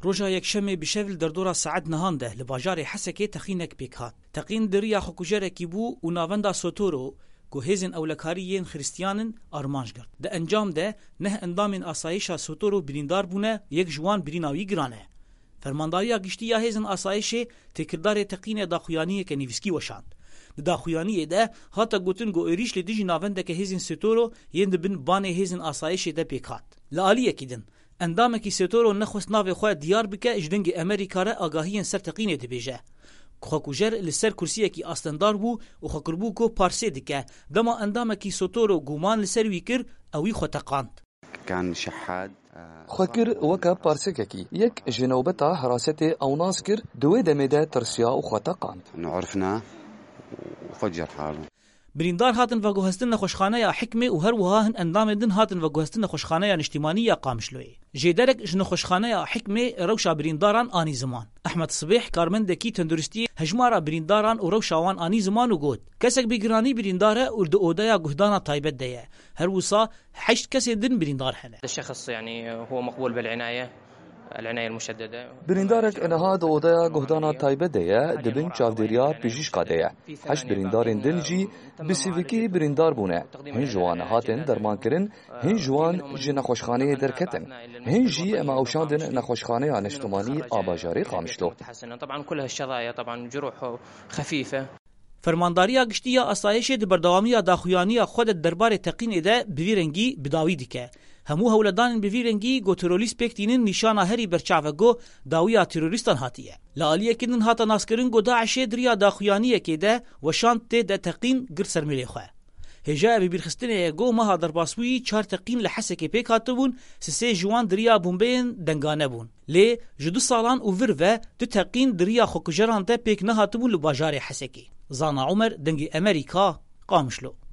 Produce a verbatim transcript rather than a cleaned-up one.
Roja Yekşemê bi şev li derdora saet nehan de li bajarê Hesekê teqînek pêk hat. Teqîn di riya xwekujerekî bû û navenda Sotoro, ku hêzên ewlekarî yên Xiristiyanin armanc girt. Di encam de neh endamên asayişa Sotoro birîndar bûne, yek ji wan birîna wî giran e. Fermandariya Giştî ya Hêzên Asayişê têkildarê teqînê daxuyaniyeke nivîskî weşand. Di daxuyaniyê de hate gotin ku êrîş li dijî navendeke hêzên Sotoro yên di bin banê Hêzên Asayişê de pêk hat. Li aliyekî din, endamekî Sotoro nexwest navê xwe diyar bike, ji Dengê Amerîka re agahiyên ser teqînê dibêje. Xwekujer li ser kursiyekî astendar bû û xwe kiribû ku parsê dike. Dema endamekî Sotoro guman li ser wî kir, ew wî xwe teqand. كان شحاد. Xwe kir weke parsekekî. Yek ji newbeta herasetê ew nas kir, di wê demê de tirsiya û xwe teqand. عرفنا وفجر حاله. Birîndar hatin veguhestin nexweşxaneya Hikmê û her wiha hin endamên din hatin veguhestin nexweşxaneya Niştîmanî ya Qamişloyê. Jêderek ji nexweşxaneya Hikmê rewşa birîndaran anî ziman. Ehmed Sibêh, karmendekî tenduristiyê, hejmara birîndaran û rewşa wan anî ziman û got, kesek bi giranî birîndar e û di odeya guhdana taybet de ye. Her wisa heşt kesên din birîndar hene. الشخص يعني هو مقبول بالعناية، العناية المشددة. Birîndarek niha di odeya guhdana taybet de ye, di bin çavdêriya pijîşka de ye. Heşt birîndarên din jî bi sîvikî birîndar bûne. Hin ji wan hatin dermankirin, hin ji wan ji nexweşxaneyê derketin. Hin jî me awşandin nexweşxaneya Niştimanî a bajarê Qamişlo. طبعا كل هالشظايا طبعا جروح خفيفة. Fermandariya Giştî ya Asayişê di berdewamiya daxuyaniya xwe de di derbarê teqînê de bi vî rengî bi dawî dike. Hemû hewledanên bi vî rengî ku terorîst pêk tînin nîşana herî berçav e ku dawiya terorîstan hatiye. Li aliyekî din hate naskirin ku DAIŞê di riya daxuyaniyekê de weşand tê de teqîn girt ser mêlê xwe. Hêjaya bibîrxistinê ye ku meha derbasbûyî çar teqîn li Hesekê pêk hatibûn, sisê ji wan di riya bombeyên dengane bûn. Lê ji du salan û vir ve du teqîn di riya xwekujeran de pêk nehatibûn li bajarê Hesekê. Zana Omer, Dengê Emerîka, Qamişlo.